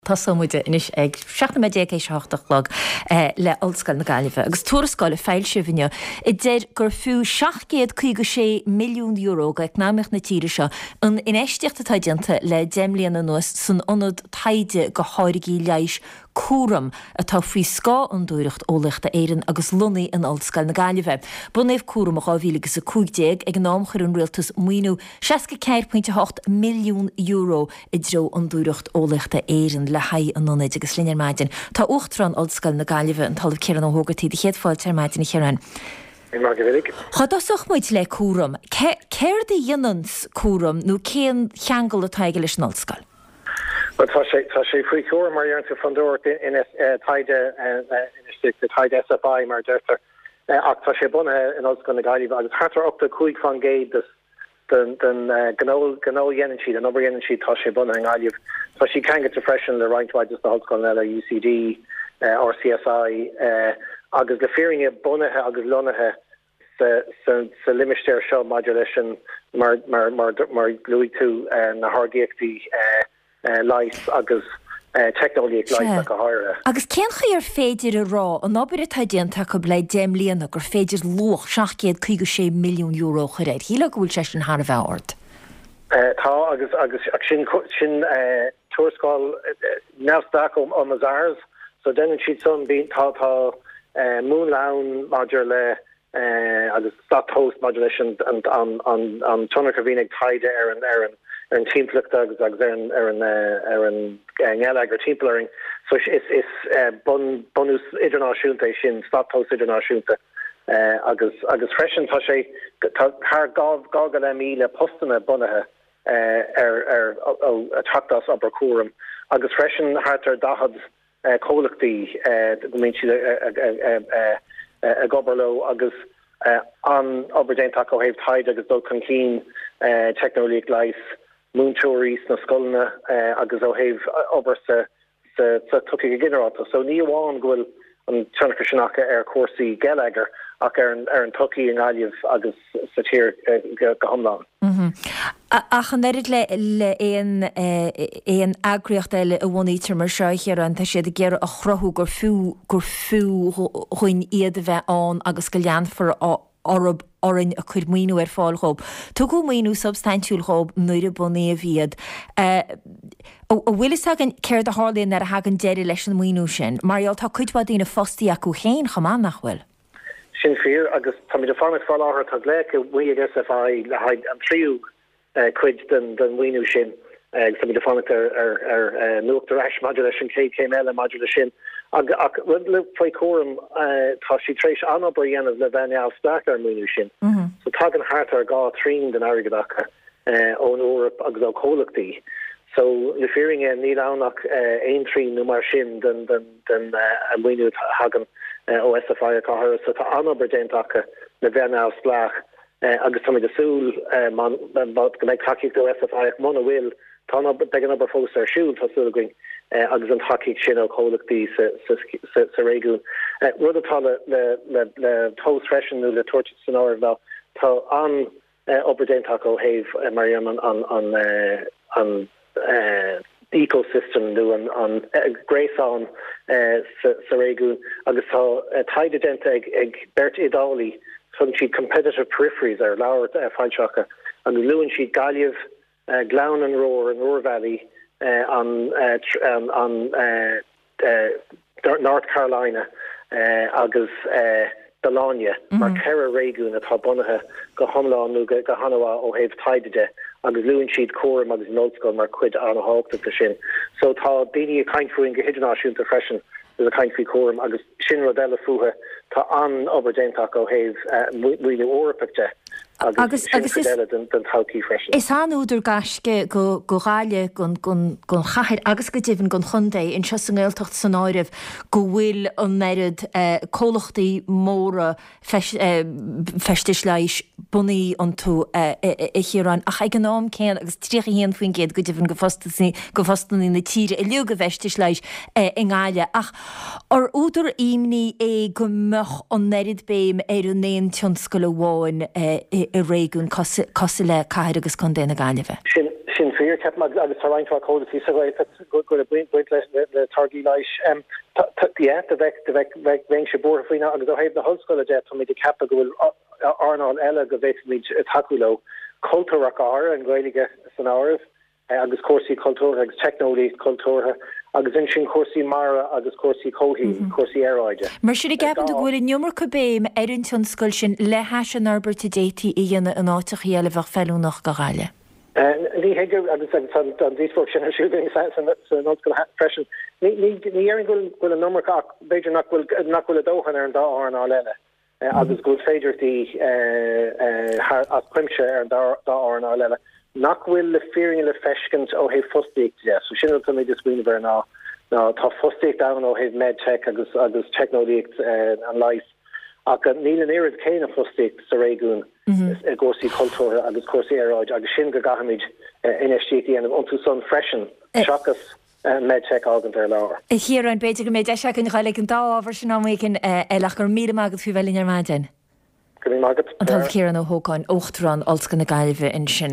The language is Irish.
Tosóidh muid anois ag 17 nóiméad théis a 8 a chlog le Ollscoil na Gaillimhe agus tuarascáil a foilsíodh inniu a deir gur fiú €756 milliún do eacnamaíocht na tíre seo an infheistíocht atá déanta le 10 mbliana anuas san ionad taighde do tháirgí leighis Cúram atá faoi scáth Fhondúireacht Eolaíochta Éireann agus lonnaithe in Ollscoil na Gaillimhe. Bunaíodh Cúram i 2015 ag an am chuir an rialtas maoiniú €64.8 milliún i dtreo Fhondúireacht Eolaíochta Éireann le haghaidh an ionaid agus linn ar maidin tá Uachtarán Ollscoil na Gaillimhe, an tOllamh Ciarán Ó hÓgartaigh. Do chéad fáilte ar maidin, a Chiaráin. Maith go minic. Dhá dtosódh muid le Cúram, céard a dhéananns Cúram nó cén cheangal atá aige leis an Ollscoil? Bhuel, tá sé, tá sé faoi chúram, mar a deireann tú, Fondúireacht Taighde, Infheistíochta Taighde, SFI mar a deirtear, ach tá sé bunaithe in Ollscoil na Gaillimhe agus thart ar 85% de den ghnó a dhéanann siad, an obair a dhéanann siad, tá sé bunaithe i nGaillimh. Tá siad ceangailte freisin le roinnt mhaith de na hollscoileanna eile, UCD, RCSI, agus le fírinne bunaithe agus lonnaithe sa limistéar seo maidir leis an, mar mar luaigh tú, na tháirgíochtaí. leighis agus teicneolaíocht leighis ach go háirithe. Agus cén chaoi ar féidir a rá, an obair atá déanta acu le 10 mbliana, gur féidir luach €756 milliún a chur air? Shílfeá go bhfuil sé sin thar a bheith ard. Tá, agus agus sin sin tuarascáil neamhspleách ó Mazars, so déanann siad san, tá tá múnla ann maidir le agus slat tomhais maidir leis an tionchar a bhíonn ag taighde ar an timpeallacht agus agus ar an ngeilleagar timpeall orainn. So is bunús idirnáisiúnta é sin, slat tomhais idirnáisiúnta agus agus freisin tá sé tá thar 2,500 postanna bunaithe ar ar ag teacht as obair Cúram agus freisin thart ar 40 comhlachtaí go mbíonn siad ag obair leo agus an-obair déanta acu ó thaobh taighde agus dul chun cinn teicneolaíocht leighis, múinteoirí sna scoileanna agus ó thaobh obair sa tsochaí go ginearálta. So ní amháin go bhfuil an tionchar sin acu ar chúrsaí geilleagair ach ar an tsochaí i nGaillimh agus sa tír go hiomlán. Ach an oiread le aon aon eagraíocht eile a bhunaítear mar seo, a Chiaráin, tá siad ag iarraidh a chruthú gur fiú gur fiú dhuinn iad a bheith ann agus go leanfar orb orainn ag cur maoiniú ar fáil dhób. Tugadh maoiniú substaintiúil dhób nuair a bunaíodh iad. An bhfuil fhios againn céard a tharlaíonn nuair a thagann deireadh leis an maoiniú sin? Mar gheall tá cuid mhaith daoine fostaithe acu féin chomh maith, nach bhfuil? Sin fíor, agus táimid ag fanacht fá láthair, tá glaoch amuigh ag SFI le haghaidh an tríú cuid den mhaoiniú sin agus táimid ag fanacht ar nuacht ar ais maidir leis an chéad chéim eile maidir leis sin. Ach rud le faoi Chúram, tá siad tar éis an-obair a dhéanamh le bheith neamhspleách ar an maoiniú sin. So tagann thart ar 2 thrian den airgead acu ón Eoraip agus ó chomhlachtaí. So le fírinne níl ann ach aon trian nó mar sin den den maoiniú a thagann ó SFI ach go háirithe. So tá an-obair déanta acu le bheith neamhspleách agus táimid ag súil go mbeidh tacaíocht ó SFI ach muna bhfuil, tá an obair, beidh an obair fós ar siúl, tá súil againn, agus an tacaíocht sin ó chomhlachtaí sa réigiún. Rud atá le tomhas freisin nó le tabhairt san áireamh ná tá an obair déanta acu ó thaobh, mar a deirim, an ecosystem nó an gréasán sa réigiún agus tá taighde déanta ag beirt Iodálaigh, tugann siad Competitive Peripheries ar leabhar foilsithe acu agus luann siad Gaillimh, Gleann an Ruhr, an Ruhr Valley, an North Carolina agus Bologna mar 4 réigiún atá bunaithe go hiomlán nó go han-mhaith ó thaobh taighde de agus luann siad Cúram agus an ollscoil mar chuid an-thábhachtach de sin. So tá daoine ag caint fúinn go hidirnáisiúnta freisin agus ag caint faoi Chúram agus sin rud eile fúthu, tá an-obair déanta acu ó thaobh maoiniú Eorpach de. Agus sin cuid eile den todhchaí freisin. Is an-údar gaisce go Gaillimh, don chathair agus go deimhin don chontae, anseo sa nGaeltacht san áireamh, go bhfuil an oiread comhlachtaí móra feistis leighis bunaithe iontu, a Chiaráin. Ach ag an am céanna, agus 31% go deimhin de phostanna na tíre uilig i bhfeistis leighis i nGaillimh. Ach Ar údar imní é go mbeadh an oiread béim ar an aon tionscal amháin i réigiún cosúil le Cathair agus Contae na Gaillimhe? Sin. Sin fíor, ceapaim, agus tá roinnt mhaith comhlachtaí sa Ghaeltacht go bhfuil baint le táirgí leighis. Yeah, do bheadh, do bheadh, bheinnse buartha faoi agus ó thaobh na hollscoile de, táimid ag ceapadh go bhfuil earnáil eile go bhféadfaimid tacú leo, cultúr ach go háirithe, an Ghaeilge san áireamh. agus cúrsaí cultúrtha agus teicneolaíocht chultúrtha agus ansin cúrsaí mara agus cúrsaí comhshaoil, cúrsaí aeráide. Mar sin, an gceapann tú go bhfuil an iomarca béim ar an tionscal sin le hais an fhorbairt a d'fhéadfaí a dhéanamh in áiteachaí eile a bheadh feiliúnach do Ghaillimh? Ní hé go, agus tá an díospóireacht sin ar siúl againn san ollscoil freisin, ní déarfainn go bhfuil an iomarca ach b'fhéidir nach bhfuil nach bhfuil a dóthain ar an dá earnáil eile. agus go bhfuil féidearthachtaí thar as cuimse ar an dá earnáil eile nach bhfuil le fírinne le feiscint ó thaobh fostaíochta de. So sin rud táimid ag smaoineamh air ná ná tá fostaíocht ann ó thaobh medtech agus agus teicneolaíocht an leighis ach níl an oiread céanna fostaíocht sa réigiún i gcúrsaí cultúrtha agus cúrsaí aeráide agus sin go gcaithfimid infheistíocht a dhéanamh iontu san freisin seachas MedTech a fhágaint ar lár. A Chiaráin, b'fhéidir go mbeidh deis againn a ghoil ag an dá ábhar sin am éigin eile ach go raibh míle maith agat faoi bheith linn ar maidin. Go raibh míle maith agat. An tOllamh Ciarán Ó hÓgáin, Uachtarán Ollscoil na Gaillimhe ansin.